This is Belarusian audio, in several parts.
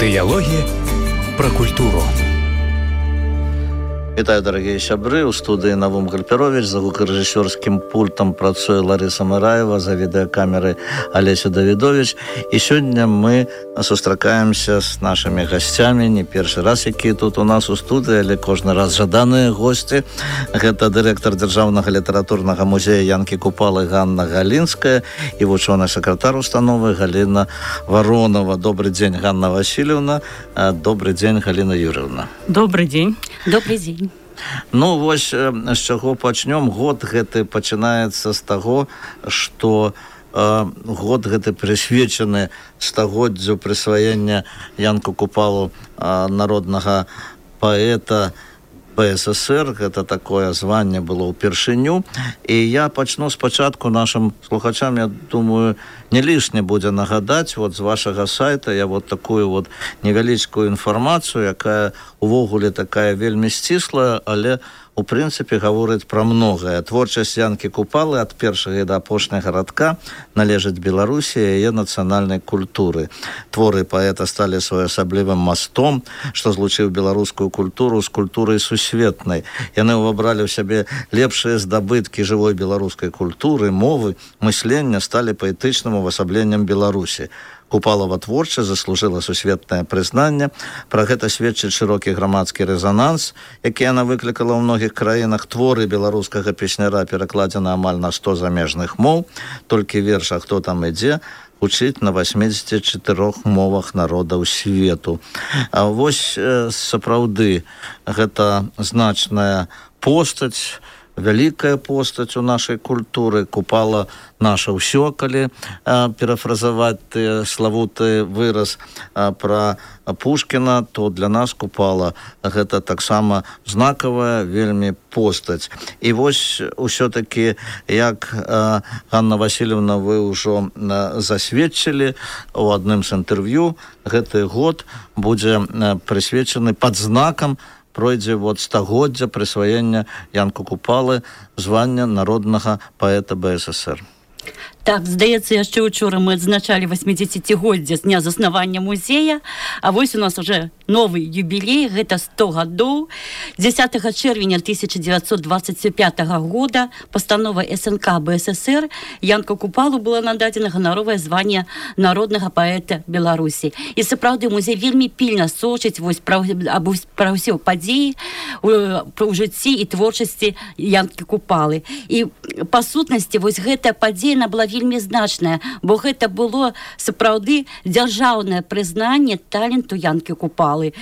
Дыялогі пра культуру. Вітаю, дарагія сябры. У студыі Навум Гальперович, за гукарэжысёрскім пультам працуе Ларыса Мараева, за відэакамерай Алеся Давідович. І сёння мы сустракаемся з нашымі гасцямі, не першы раз, якія тут у нас у студыі, але кожны раз жаданыя госці. Гэта дырэктар Дзяржаўнага літаратурнага музея Янкі Купалы Ганна Галінская і вучоны сакратар установы Галіна Варонова. Добрый дзень, Ганна Васильевна. Добрый дзень, Галіна Юрьевна. Добрый дзень. Добрый дзень. Ну, вось з чаго пачнём. Год гэты пачынаецца з таго, што год гэты прысвечаны стагоддзю прысваення Янку Купалу народнага паэта БССР. Гэта такое званне было ўпершыню. І я пачну спачатку нашым слухачам, я думаю, не лішне будзе нагадаць вот з вашага сайта я вот такую вот невялічкую інфармацыю, якая увогуле такая вельмі сціслая, але у прынцыпе гаворыць пра многае. Творчасць Янкі Купалы ад першага да апошняга радка належыць Беларусі і яе нацыянальнай культуры. Творы паэта сталі своеасаблівым мастом, што злучыў беларускую культуру з культурай сусветнай. Яны ўвабралі ў сябе лепшыя здабыткі жывой беларускай культуры, мовы, мыслення, сталі паэтычным увасабленнем Беларусі. Купалова творчасць заслужыла сусветнае прызнанне. Пра гэта сведчыць шырокі грамадскі рэзананс, які яна выклікала ў многіх краінах. Творы беларускага песняра перакладзены амаль на 100 замежных моў. Толькі верш «А хто там ідзе» гучыць на 84 мовах народаў свету. А вось сапраўды гэта значная постаць, вялікая постаць у нашай культуры. Купала наша ўсё, калі перафразаваць славуты выраз пра Пушкіна, то для нас Купала гэта таксама знакавая вельмі постаць. І вось усё-такі, як Ганна Васильевна, вы ўжо засведчылі у адным з інтэрв'ю, гэты год будзе прысвечаны пад знакам пройдзе вот стагоддзя прысваення Янку Купалы звання народнага паэта БССР. Так, здаецца, яшчэ учора мы адзначалі 80-годдзе з дня заснавання музея, а вось у нас уже новы юбілей, гэта 100 гадоў. 10 чэрвеня 1925 года пастанова СНК БССР Янку Купалу была нададзена ганаровае званне народнага паэта Беларусі. І сапраўды музей вельмі пільна сочыць вось пра ўсе падзеі ў жыцці і творчасці Янкі Купалы. І па сутнасці вось гэтая падзея была вельмі значная, бо гэта было сапраўды дзяржаўнае прызнанне таленту Янкі Купалы,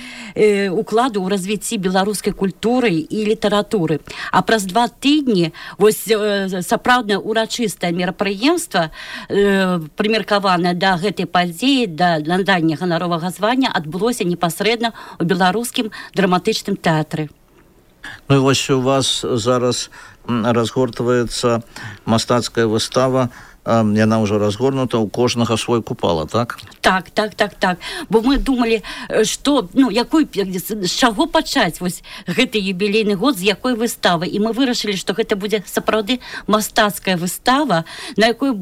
укладу ў развіцці беларускай культуры і літаратуры. А праз 2 тыдні вось сапраўднае урачыстае мерапрыемства, прымеркаванае да гэтай падзеі, да надання ганаровага звання, адбылося непасрэдна ў беларускім драматычным тэатры. Ну і вось у вас зараз разгортваецца мастацкая выстава, яна ўжо разгорнута, у кожнага свой Купала, так? Так. Бо мы думалі, што, з чаго пачаць вось гэты юбілейны год, з якой выставы. І мы вырашылі, што гэта будзе сапраўды мастацкая выстава, на якой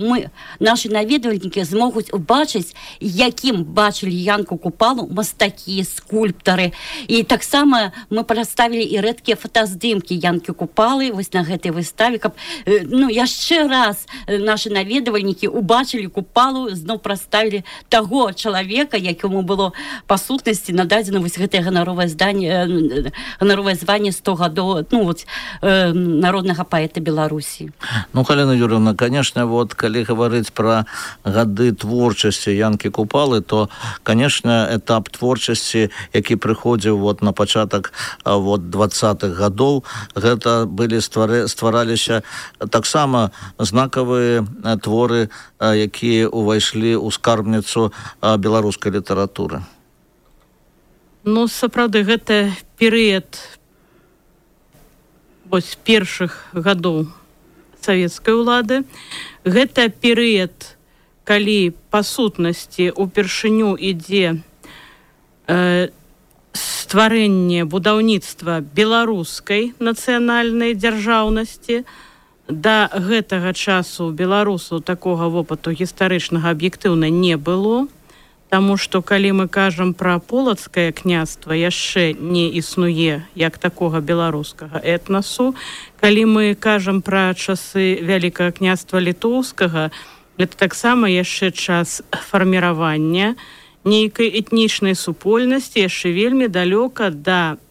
нашы наведвальнікі змогуць убачыць, якім бачылі Янку Купалу мастакі, скульптары. І таксама мы прадставілі і рэдкія фотаздымкі Янкі Купалы вось на гэтай выставе, каб яшчэ раз нашы наведвальнікі убачылі Купалу, зноў прадставілі таго чалавека, якому было па сутнасці нададзена вось гэтае ганаровае званне 100 гадоў народнага паэта Беларусі. Ну, Галіна Юрьевна, конечно, вот калі гаварыць пра гады творчасці Янкі Купалы, то, конечно, этап творчасці, які прыходзіў вот на пачатак 20-х гадоў, гэта былі ствараліся таксама знакавыя творы, якія ўвайшлі ў скарбніцу беларускай літаратуры. Ну, сапраўды, гэта перыяд вось першых гадоў савецкай улады. Гэта перыяд, калі па сутнасці упершыню ідзе стварэнне будаўніцтва беларускай нацыянальнай дзяржаўнасці. Да гэтага часу беларусу такога вопыту гістарычнага аб'ектыўна не было. Таму што калі мы кажам пра полацкае княства, яшчэ не існуе як такога беларускага этнасу. Калі мы кажам пра часы вялікага княства літоўскага, это таксама яшчэ час фарміравання нейкай этнічнай супольнасці, яшчэ вельмі далёка да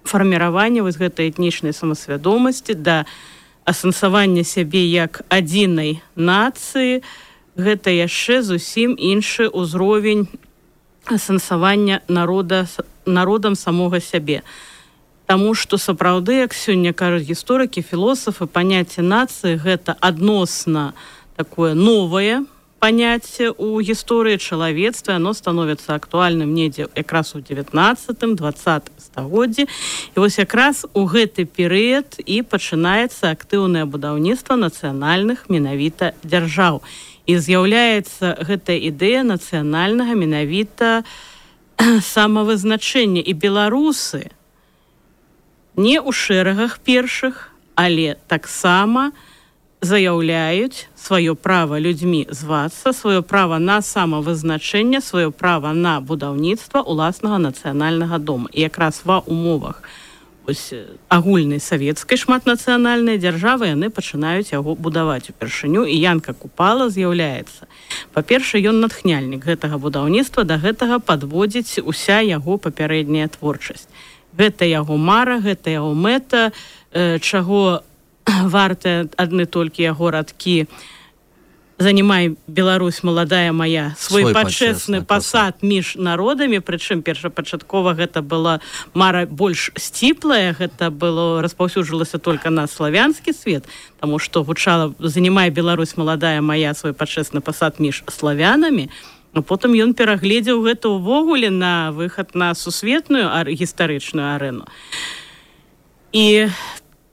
фарміравання вось гэтай этнічнай самасвядомасці, да асэнсавання сябе як адзінай нацыі. Гэта яшчэ зусім іншы ўзровень асэнсавання народам самога сябе. Таму што сапраўды, як сёння кажуць гісторыкі, філосафы, паняцце нацыі гэта адносна такое новае паняцце ў гісторыі чалавецтва, оно становіцца актуальным недзе якраз у 19-20 стагоддзі. І вось якраз у гэты перыяд і пачынаецца актыўнае будаўніцтва нацыянальных менавіта дзяржаў. І з'яўляецца гэтая ідэя нацыянальнага менавіта самавызначэння. І беларусы не ў шэрагах першых, але таксама заяўляюць сваё права людзьмі звацца, сваё права на самавызначэнне, сваё права на будаўніцтва ўласнага нацыянальнага дома. І якраз ва умовах агульнай савецкай шматнацыянальнай дзяржавы яны пачынаюць яго будаваць упершыню, і Янка Купала з'яўляецца. Па-першае, ён натхняльнік гэтага будаўніцтва, да гэтага падводзіць уся яго папярэдняя творчасць. Гэта яго мара, гэта яго мэта, чаго вартыя адны толькі яго радкі «Занимай, Беларусь, маладая моя, свой пачэсны пасад між народамі», прычым першапачаткова гэта была мара больш сціплая, гэта было распаўсюджвалася толькі на славянскі свет, таму што гучала «Занимай, Беларусь, маладая моя, свой пачэсны пасад між славянамі», а потым ён перагледзеў гэта ўвогуле на выхад на сусветную гістарычную арэну. І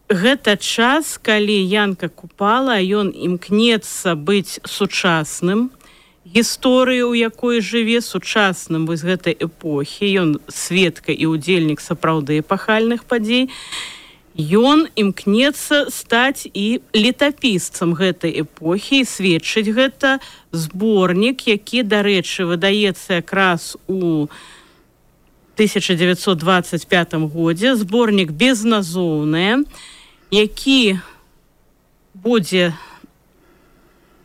гэта час, калі Янка Купала, ён імкнецца быць сучасным гісторыі, у якой жыве, сучасным вось гэтай эпохі. Ён сведка і удзельнік сапраўды эпахальных падзей. Ён імкнецца стаць і летапісцам гэтай эпохі, і сведчыць гэта зборнік, які, дарэчы, выдаецца якраз у 1925 годзе, зборнік «Безназоўнае», які будзе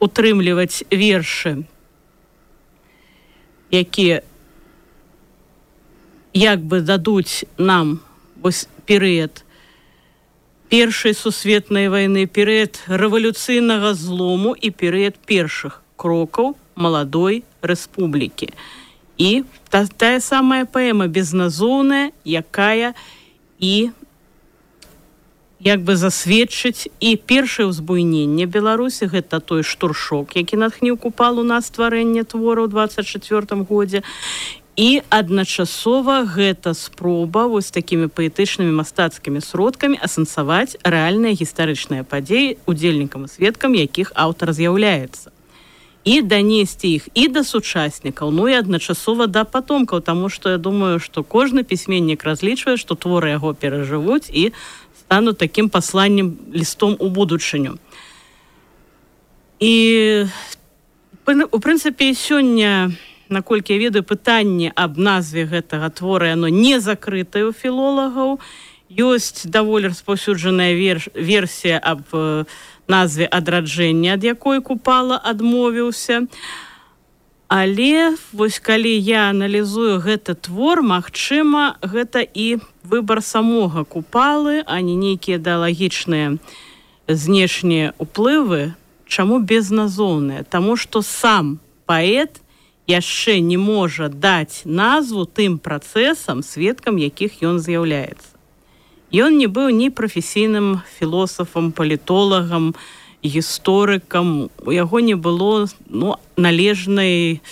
утрымліваць вершы, якія як бы дадуць нам вось перыяд Першай сусветнай вайны, перыяд рэвалюцыйнага злому і перыяд першых крокаў маладой рэспублікі. І тая самая паэма «Безназоўная», якая і як бы засведчыць і першае ўзбуйненне Беларусі, гэта той штуршок, які натхніў Купалу на стварэнне твора ў 24 годзе. І адначасова гэта спроба вось такімі паэтычнымі мастацкімі сродкамі асэнсаваць рэальныя гістарычныя падзеі, удзельнікам і сведкам якіх аўтар з'яўляецца. І данесці іх і да сучаснікаў, ну і адначасова да патомкаў, таму што я думаю, што кожны пісьменнік разлічвае, што творы яго перажывуць і стану таким посланнем, листом у будучыню. І, у прынцыпе, сёння, наколькі я ведаю, пытанне аб назве гэтага твора, яно не закрытае ў філолагаў. Ёсць даволі распаўсюджаная версія аб назве «Адраджэння», ад якой Купала адмовіўся. Але вось калі я аналізую гэты твор, магчыма, гэта і выбар самога Купалы, а не нейкія ідэалагічныя знешнія ўплывы. Чаму безназоўныя? Таму што сам паэт яшчэ не можа даць назву тым працэсам, сведкам якіх ён з'яўляецца. Ён не быў ні прафесійным філосафам, палітолагам, гісторыкам, у яго не было належнай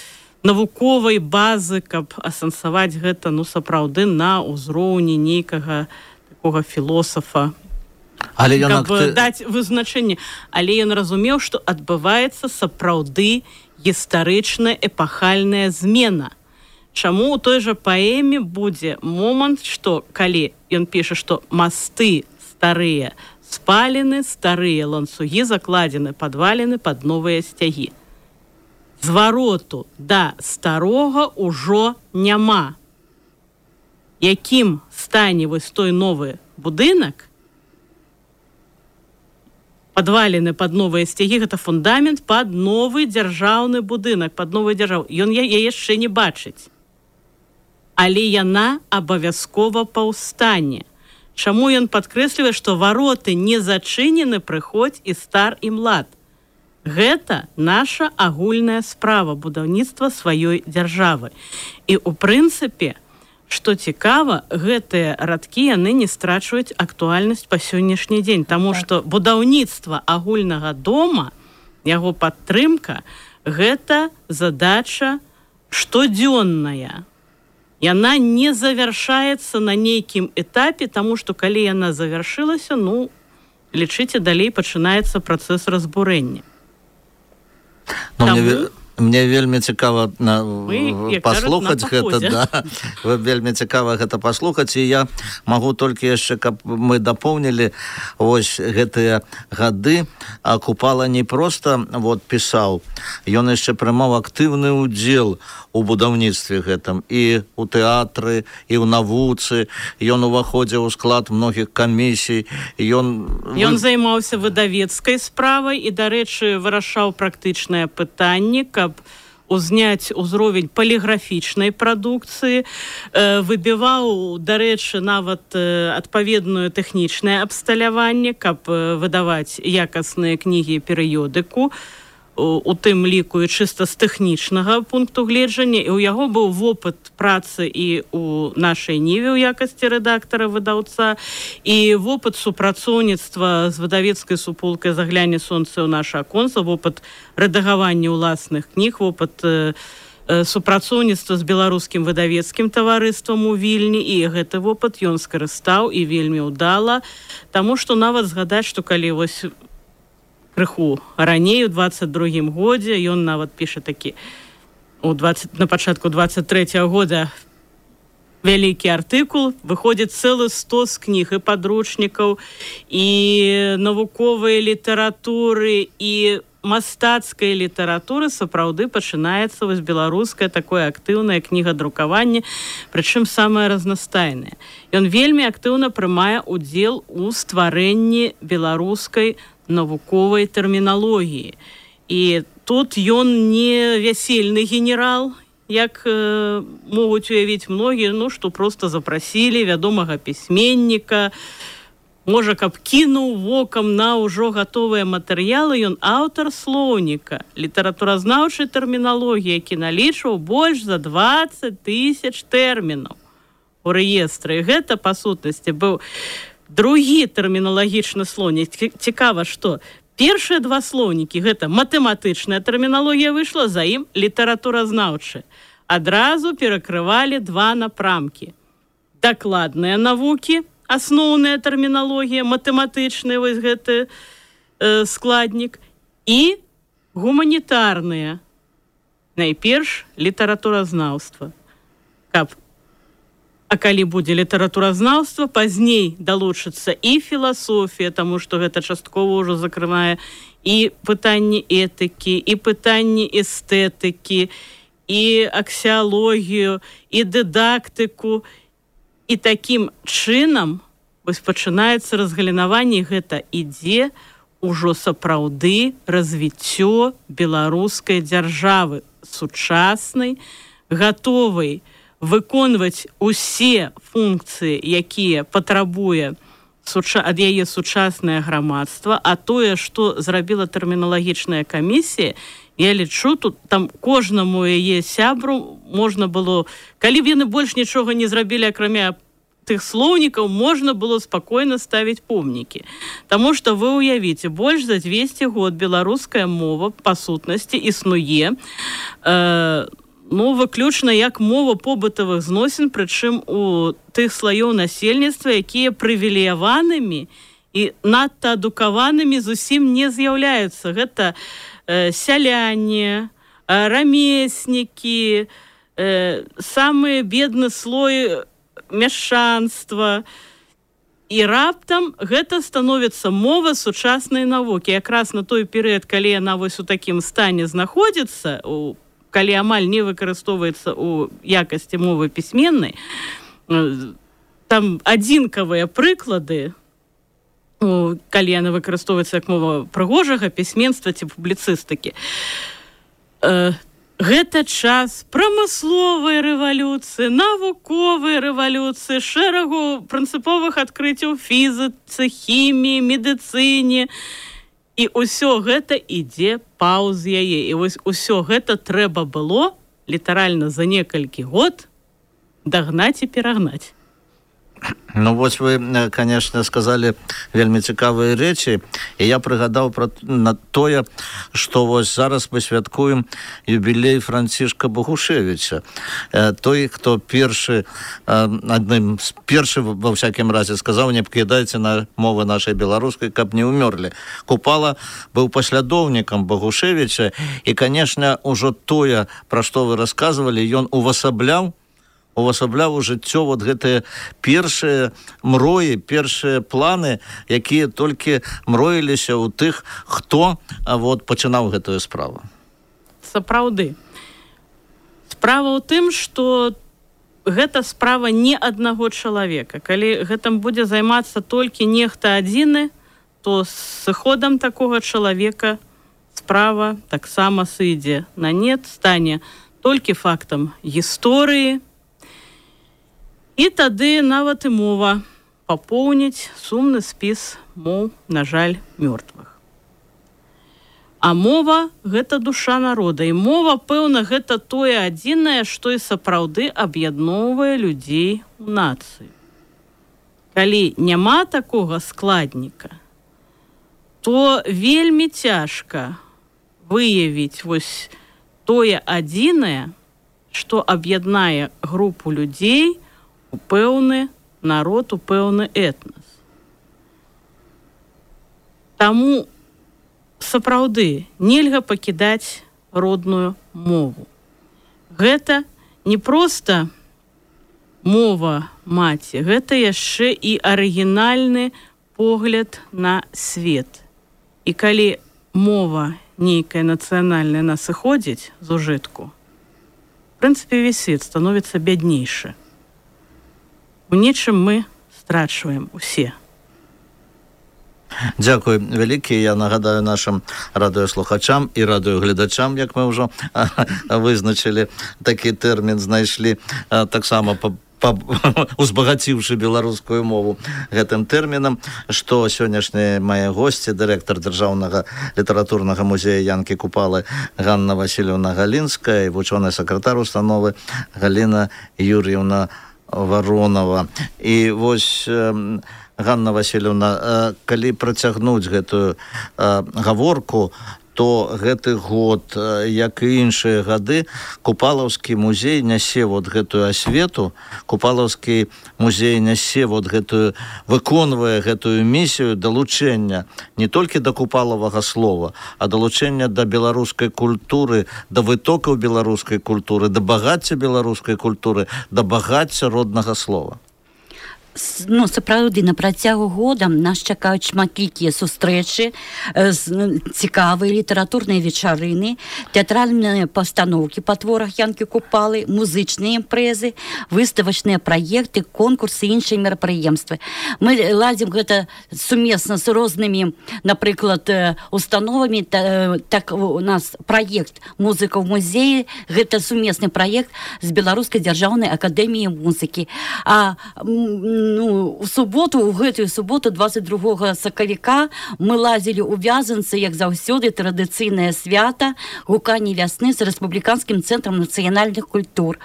навуковай базы, каб асэнсаваць гэта сапраўды на ўзроўні нейкага такога філосафа, каб даць вызначэнне. Але ён разумеў, што адбываецца сапраўды гістарычная эпахальная змена. Чаму ў той жа паэме будзе момант, што калі ён піша, што масты старыя спалены, старыя ланцугі закладзены, падвалены пад новыя сцягі. звароту да старога ўжо няма. Якім стане вось той новы будынак, падвалены пад новыя сцягі, гэта фундамент пад новы дзяржаўны будынак, пад новую дзяржаву. Ён яе яшчэ не бачыць. Але яна абавязкова паўстане. Чаму ён падкрэслівае, што вароты не зачынены, прыходзь і стар і млад. Гэта наша агульная справа будаўніцтва сваёй дзяржавы. І ў прынцыпе, што цікава, гэтыя радкі яны не страчваюць актуальнасць па сённяшні дзень, таму што будаўніцтва агульнага дома, яго падтрымка, гэта задача штодзённая. Яна не завяршаецца на нейкім этапе, таму што калі яна завяршылася, лічыце, далей пачынаецца працэс разбурэння. Мне вельмі цікава паслухаць гэта, да. Вельмі цікава гэта паслухаць, і я магу толькі яшчэ, каб мы дапоўнілі вось гэтыя гады. Купала не проста пісаў, ён яшчэ прымаў актыўны ўдзел у будаўніцтве гэтым і ў тэатры, і ў навуцы. Ён уваходзіў у склад многіх камісій. Ён займаўся выдавецкай справай і, дарэчы, вырашаў практычныя пытанні, каб узняць узровень паліграфічнай прадукцыі, выбіваў, дарэчы, нават адпаведную тэхнічнае абсталяванне, каб выдаваць якасныя кнігі і перыёдыку, у тым ліку і чыста з тэхнічнага пункту гледжання. І ў яго быў вопыт працы і ў нашай Ніве ў якасці рэдактара-выдаўца, і вопыт супрацоўніцтва з выдавецкай суполкай «Загляне сонца ў наша аконца», вопыт рэдагавання ўласных кніг, вопыт супрацоўніцтва з беларускім выдавецкім таварыствам у Вільні, і гэты вопыт ён скарыстаў і вельмі ўдала, таму што нават згадаць, што калі вось крыху раней, у 22-м годзе, ён нават піша такі, на пачатку 23-го года вялікі артыкул, выходзіць цэлы 100 з кніг і падручнікаў, і навуковай літаратуры, і мастацкай літаратуры. Сапраўды пачынаецца вось беларускае такое актыўнае кнігадрукаванне, прычым самае разнастайнае. Ён вельмі актыўна прымае ўдзел у стварэнні беларускай навуковай тэрміналогіі. І тут ён не вясельны генерал, як могуць уявіць многія, што проста запрасілі вядомага пісьменніка, можа, каб кінуў вокам на ўжо гатовыя матэрыялы. Ён аўтар слоўніка літаратуразнаўчай тэрміналогіі, які налічваў больш за 20 000 тэрмінаў у рэестры. І гэта, па сутнасці, быў другі тэрміналагічны слоўнік. Цікава, што першыя два слоўнікі, гэта матэматычная тэрміналогія выйшла, за ім літаратуразнаўчая. Адразу перакрывалі два напрамкі. Дакладныя навукі, асноўная тэрміналогія, матэматычны вось гэты складнік, і гуманітарныя, найперш літаратуразнаўства. А калі будзе літаратуразнаўства, пазней далучыцца і філасофія, таму што гэта часткова ўжо закрывае і пытанні этыкі, і пытанні эстэтыкі, і аксіалогію, і дыдактыку. І такім чынам вось пачынаецца разгалінаванне, гэта ідзе ўжо сапраўды развіццё беларускай дзяржавы, сучаснай, гатовай выконваць усе функцыі, якія патрабуе ад яе сучаснае грамадства. А тое, што зрабіла тэрміналагічная камісія, я лічу, тут там кожнаму яе сябру можна было, калі б яны больш нічога не зрабілі, акрамя тых слоўнікаў, можна было спакойна ставіць помнікі. Таму што вы ўявіце, больш за 200 год беларуская мова па сутнасці існуе, выключна як мова побытавых зносін, прычым у тых слаёў насельніцтва, якія прывілеяванымі і надта адукаванымі зусім не з'яўляюцца. Гэта сяляне, рамеснікі, самы бедны слой мяшчанства. І раптам гэта становіцца мова сучаснай навукі. Якраз на той перыяд, калі яна вось у такім стане знаходзіцца, калі амаль не выкарыстоўваецца ў якасці мовы пісьменнай, там адзінкавыя прыклады, калі яна выкарыстоўваецца як мова прыгожага пісьменства ці публіцыстыкі. Гэта час прамысловай рэвалюцыі, навуковай рэвалюцыі, шэрагу прынцыповых адкрыццяў фізіцы, хіміі, медыцыне. І ўсё гэта ідзе паўз яе. І вось усё гэта трэба было літаральна за некалькі год дагнаць і перагнаць. Ну, вось вы, конечно, сказали вельмі цікавыя рэчы, і я прыгадаў пра тое, што вось зараз мы святкуем юбілей Францішка Богушевича. Той, хто адным з першых, ва всякім разе, сказаў, не пакідайце на мовы нашай беларускай, каб не ўмёрлі. Купала быў паслядоўнікам Богушевича, і, конечно, ужо тое, пра што вы расказвалі, ён увасабляў у жыццё вот гэтыя першыя мроі, першыя планы, якія толькі мроіліся ў тых, хто вот пачынаў гэтую справу. Сапраўды. Справа ў тым, што гэта справа не аднаго чалавека. Калі гэтым будзе займацца толькі нехта адзіны, то з сыходам такога чалавека справа таксама сыдзе на нет, стане толькі фактам гісторыі, і тады нават і мова папоўніць сумны спіс моў, на жаль, мёртвых. А мова – гэта душа народа. І мова, пэўна, гэта тое адзінае, што і сапраўды аб'ядноўвае людзей у нацыі. Калі няма такога складніка, то вельмі цяжка выявіць вось тое адзінае, што аб'яднае групу людзей у пэўны народ, у пэўны этнас. Таму сапраўды нельга пакідаць родную мову. Гэта не проста мова маці, гэта яшчэ і арыгінальны погляд на свет. І калі мова нейкая нацыянальная нас сыходзіць з ужытку, в прынцыпе, весь свет становіцца бяднейшы. У нечым мы страчваем усе. Дзякуй вялікі. Я нагадаю нашим радыёслухачам і радыёгледачам, як мы ўжо вызначылі, такі тэрмін знайшлі, таксама узбагаціўшы беларускую мову гэтым тэрмінам, што сённяшнія мае госці, дырэктар Дзяржаўнага літаратурнага музея Янкі Купалы Ганна Васильевна Галінская і вучоны сакратар установы Галіна Юр'евна Воронова. І вось, Ганна Васильевна, калі працягнуць гэтую гаворку, то гэты год, як і іншыя гады, Купалаўскі музей нясе вот гэтую асвету, Купалаўскі музей нясе вот гэтую, выконвае гэтую місію далучэння не толькі да купалавага слова, а далучэння да беларускай культуры, да вытокаў беларускай культуры, да багацця беларускай культуры, да багацця роднага слова. Ну, сапраўды, на працягу года нас чакаюць шматлікія сустрэчы, цікавыя літаратурныя вечарыны, тэатральныя пастаноўкі па творах Янкі Купалы, музычныя імпрэзы, выставачныя праекты, конкурсы і іншыя мерапрыемствы. Мы ладзім гэта сумесна з рознымі, напрыклад, установамі. Так у нас праект «Музыка ў музеі», гэта сумесны праект з Беларускай дзяржаўнай акадэміяй музыкі. А у гэтую суботу, 22 сакавіка, мы лазілі ў Вязанцы, як заўсёды, традыцыйнае свята гуканне вясны з рэспубліканскім цэнтрам нацыянальных культур.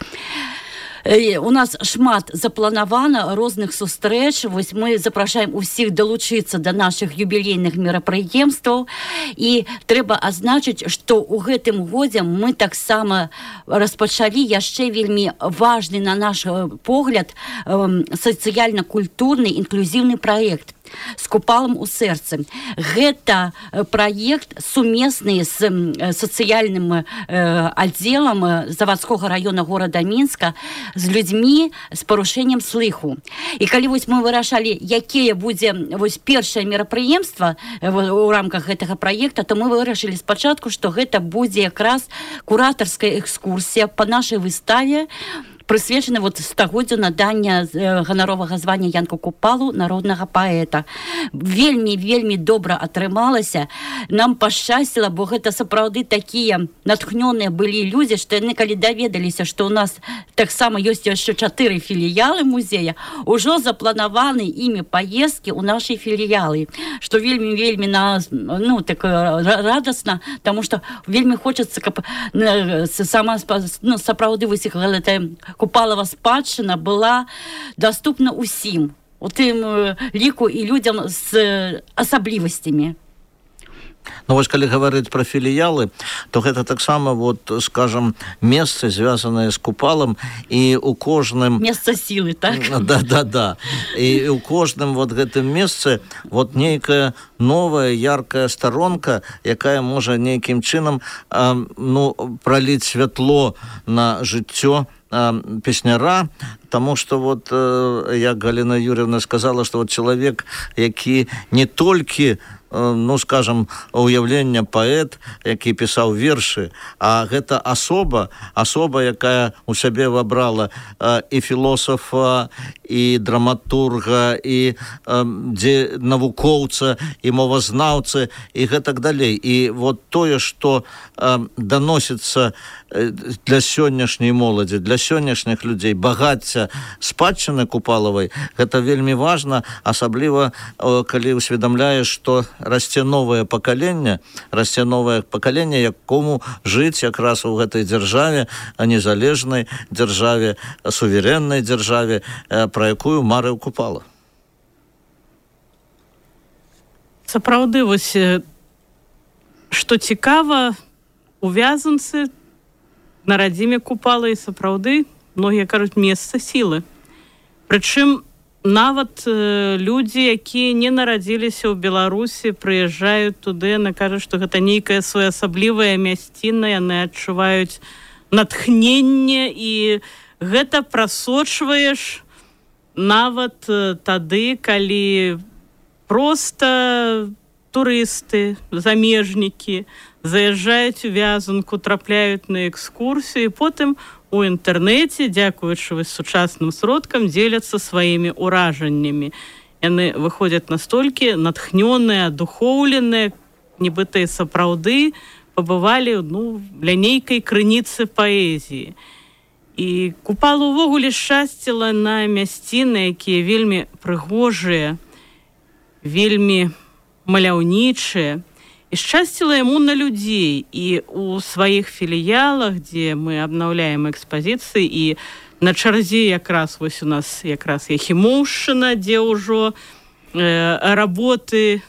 У нас шмат запланавана розных сустрэч. Вось мы запрашаем усіх далучыцца да нашых юбілейных мерапрыемстваў. І трэба азначыць, што ў гэтым годзе мы таксама распачалі яшчэ вельмі важны, на наш погляд, сацыяльна-культурны інклюзіўны праект. з купалам у сэрцы. Гэта праект сумесны з сацыяльным аддзелам завадскога района горада Мінска з людзьмі з парушэннем слыху. І калі вось мы вырашалі, якія будзе вось першае мерапрыемства у рамках гэтага праекта, то мы вырашылі спачатку, што гэта будзе якраз куратарская экскурсія па нашай выставе, прысвечаны стагоддзю надання ганаровага звання Янку Купалу, народнага паэта. Вельмі добра атрымалася. Нам пашчасціла, бо гэта сапраўды такія натхнёныя былі людзі, што яны калі даведаліся, што ў нас таксама ёсць яшчэ 4 філіялы музея, ужо запланаваны імі паездкі ў нашай філіялы, што вельмі радасна, таму што вельмі хочацца, каб сапраўды вось гэтая Купалава спадчына была доступна ўсім, у тым ліку і людзям з асаблівасцямі. Ну, вось, калі гаварыць пра філіялы, то гэта таксама, скажам, месцы, звязаныя з Купалам, і ў кожным... Месца сілы, так? Да. І ў кожным гэтым месцы нейкая новая, яркая старонка, якая можа нейкім чынам праліць святло на жыццё песняра, тому что як Галина Юрьевна сказала, что чалавек, які не толькі скажем, уяўлення паэт, які пісаў вершы, а гэта асоба, якая у сябе вабрала і філосафа, і драматурга, і навукоўца, і мовазнаўцы, і гэтак далей. І тое, што даносіцца для сённяшняй моладзі, для сённяшніх людзей, багацця спадчыны Купалавай, гэта вельмі важна, асабліва, калі усведамляеш, што расце новае пакаленне, якому жыць якраз у гэтай дзяржаве, незалежнай дзяржаве, суверэннай дзяржаве, пра якую марыў Купала. Сапраўды, што цікава, у Вязанцы на радзіме Купала і сапраўды, многія кажуць, месца сілы. Прычым, нават людзі, якія не нарадзіліся ў Беларусі, прыязджаюць туды, яны кажуць, што гэта нейкая своеасаблівая мясціна, яны адчуваюць натхненне, і гэта прасочваеш нават тады, калі проста турысты, замежнікі заязджаюць у Вязанку, трапляюць на экскурсію, і потым у інтэрнэце, дзякуючы сучасным сродкам, дзеляцца сваімі ўражаннямі. Яны выходзяць настолькі натхнёныя, адухоўленыя, нібыта і сапраўды пабывалі ля нейкай крыніцы паэзіі. І Купала ўвогуле шчасціла на мясціны, якія вельмі прыгожыя, вельмі маляўнічыя, і шчасціла яму на людзей. І у сваіх філіялах, дзе мы абнаўляем экспазіцыі, і на чарзе якраз у нас якраз Яхімоўшчына, дзе ўжо работы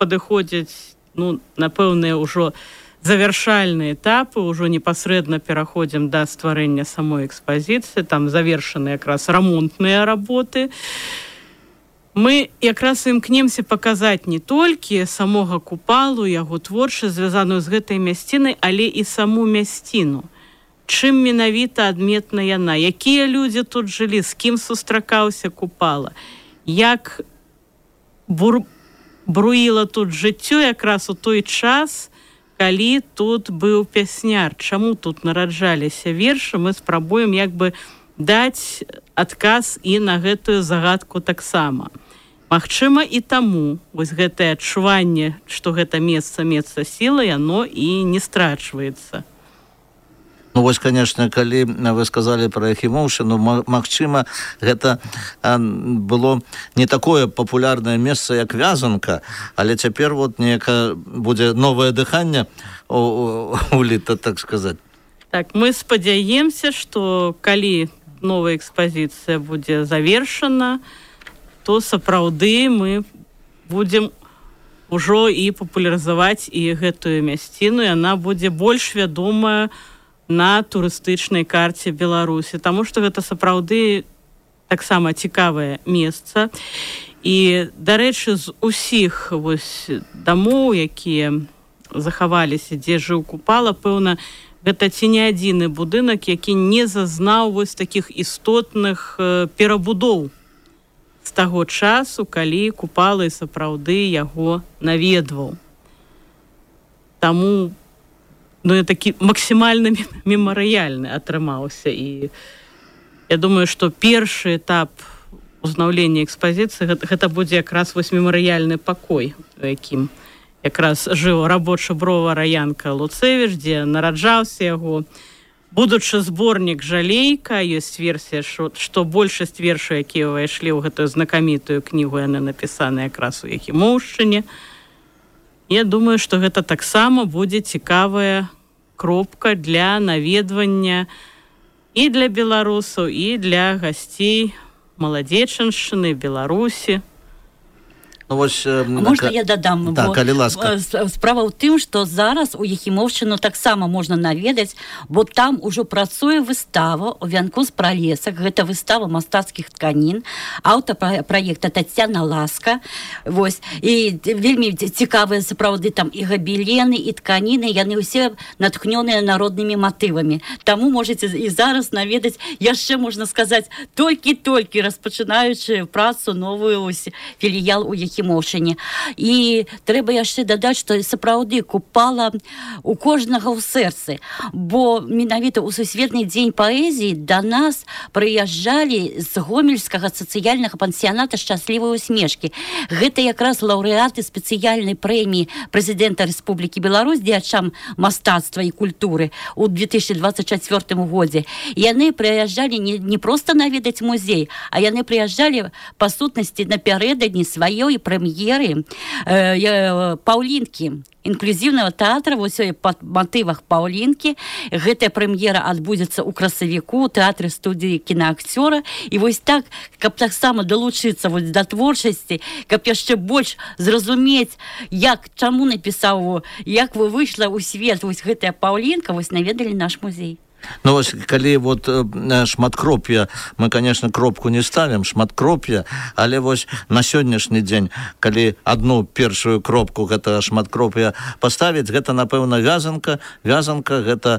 падыходзяць на пэўныя ўжо завяршальныя этапы, ўжо непасрэдна пераходзім да стварэння самой экспазіцыі, там завершаны якраз рамонтныя работы. Мы якраз імкнемся паказаць не толькі самога Купалу, яго творчасць, звязаную з гэтай мясцінай, але і саму мясціну. Чым менавіта адметна яна? Якія людзі тут жылі? З кім сустракаўся Купала? Як бруіла тут жыццё якраз у той час, калі тут быў пясняр? Чаму тут нараджаліся вершы? Мы спрабуем даць адказ і на гэтую загадку таксама. Магчыма, і таму гэтае адчуванне, што гэта месца сілы, яно і не страчваецца. Конечно, калі вы сказалі пра Яхімоўшчыну, магчыма, гэта было не такое папулярнае месца, як Вязанка, але цяпер неяка будзе новае дыханне уліта, так сказаць. Так, мы спадзяемся, што калі новая экспазіцыя будзе завершана, то сапраўды мы будзем ужо і папулярызаваць і гэтую мясціну, і яна будзе больш вядомая на турыстычнай карце Беларусі, таму што гэта сапраўды таксама цікавае месца. І, дарэчы, з усіх дамоў, якія захаваліся, дзе жыў Купала, пэўна, гэта ці не адзіны будынак, які не зазнаў такіх істотных перабудоў з таго часу, калі Купала і сапраўды яго наведваў. Таму такі максімальна мемарыяльны атрымаўся. І я думаю, што першы этап узнаўлення экспазіцыі гэта будзе якраз мемарыяльны пакой, у якім якраз жыў рабочы бровара Янка Луцевіч, дзе нараджаўся яго будучы зборнік «Жалейка». Ёсць версія, што большасць вершаў, якія ўвайшлі ў гэтую знакамітую кнігу, яны напісаны якраз у Яхімоўшчыне. Я думаю, што гэта таксама будзе цікавая кропка для наведвання і для беларусаў, і для гасцей Маладзечаншчыны, Беларусі. Можна я дадам? Так, калі ласка. Справа ў тым, што зараз у Яхімоўшчыну таксама можна наведаць, бо там ужо працуе выстава ў вянку з пралесак. Гэта выстава мастацкіх тканін, аўтар праекта Таццяна Ласка. І вельмі цікавыя сапраўды там і габелены, і тканіны, яны ўсе натхнёныя народнымі матывамі. Таму можаце і зараз наведаць, яшчэ можна сказаць, толькі распачынаючы працу новую філіял у Яхімоўшчыне. І трэба яшчэ дадаць, што сапраўды Купала у кожнага ў сэрцы, бо менавіта ў Сусветны дзень паэзіі да нас прыязджалі з гомельскага сацыяльнага пансіяната «Шчаслівыя усмешкі». Гэта якраз лаўрэаты спецыяльнай прэміі прэзідэнта Рэспублікі Беларусь дзеячам мастацтва і культуры ў 2024 годзе. Яны прыязджалі не проста наведаць музей, а яны прыязджалі па сутнасці напярэдадні сваёй прэм'еры Паўлінкі, інклюзіўнага тэатра, па матывах Паўлінкі. Гэтая прэм'ера адбудзецца ў красавіку, у тэатры студыі кінаакцёра. І так, каб таксама далучыцца да творчасці, каб яшчэ больш зразумець, чаму напісаў, як выйшла ў свет гэтая Паўлінка, наведалі наш музей. Калі шматкроп'я, мы, конечно, кропку не ставім, шматкроп'я, але на сённяшні дзень, калі одну першую кропку гэта шматкроп'я паставіць, гэта, напэўна, вязанка. Вязанка — гэта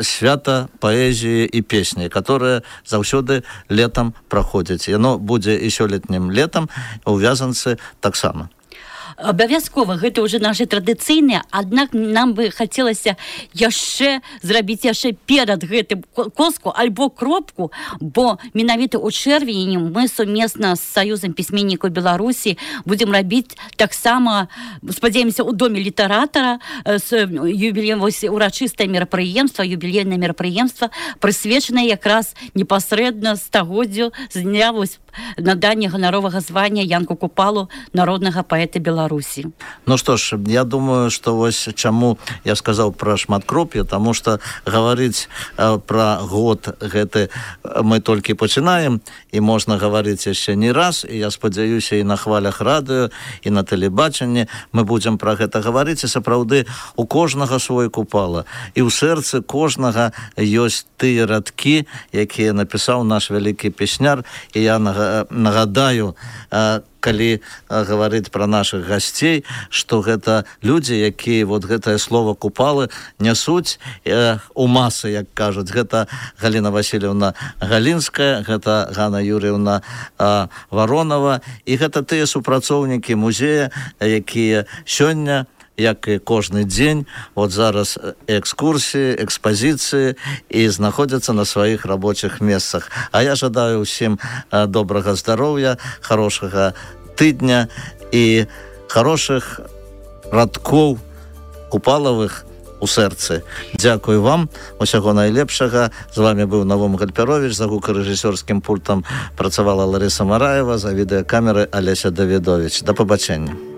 свята паэзіі і песні, которая заўсёды летам праходзіць. Яно будзе і сёлетнім летам, у вязанцы таксама. Абавязкова, гэта ўжо нашы традыцыйныя, аднак нам бы хацелася яшчэ зрабіць перад гэтым коску альбо кропку, бо менавіта ў чэрвені мы сумесна з Саюзам пісьменнікаў Беларусі будзем рабіць таксама, спадзяемся, у доме літаратара урачыстае мерапрыемства, юбілейнае мерапрыемства, прысвечанае якраз непасрэдна стагоддзю з дня надання ганаровага звання Янку Купалу, народнага паэта Беларусі. Што ж, я думаю, што чаму я сказаў пра шматкроп'е, таму што гаварыць пра год гэты мы толькі пачынаем, і можна гаварыць яшчэ не раз, і я спадзяюся, і на хвалях радыё, і на тэлебачанні мы будзем пра гэта гаварыць, і сапраўды у кожнага свой Купала, і ў сэрцы кожнага ёсць тыя радкі, якія напісаў наш вялікі песняр. І я нагадаю, калі гаварыць пра нашых гасцей, што гэта людзі, якія гэтае слово Купалы нясуць у масы, як кажуць. Гэта Галіна Васильевна Галінская, гэта Ганна Юрьевна Воронова, і гэта тыя супрацоўнікі музея, якія сёння, як і кожны дзень, зараз экскурсіі, экспазіцыі, і знаходзяцца на сваіх рабочых месцах. А я жадаю ўсім добрага здароўя, хорошага тыдня і хорошых радкоў купалавых у сэрцы. Дзякую вам, усяго найлепшага. З вами быў Навум Гальперович, за гукарэжысёрскім пультам працавала Ларыса Мараева, за відэакамеры Алеся Давідович. Да пабачэння.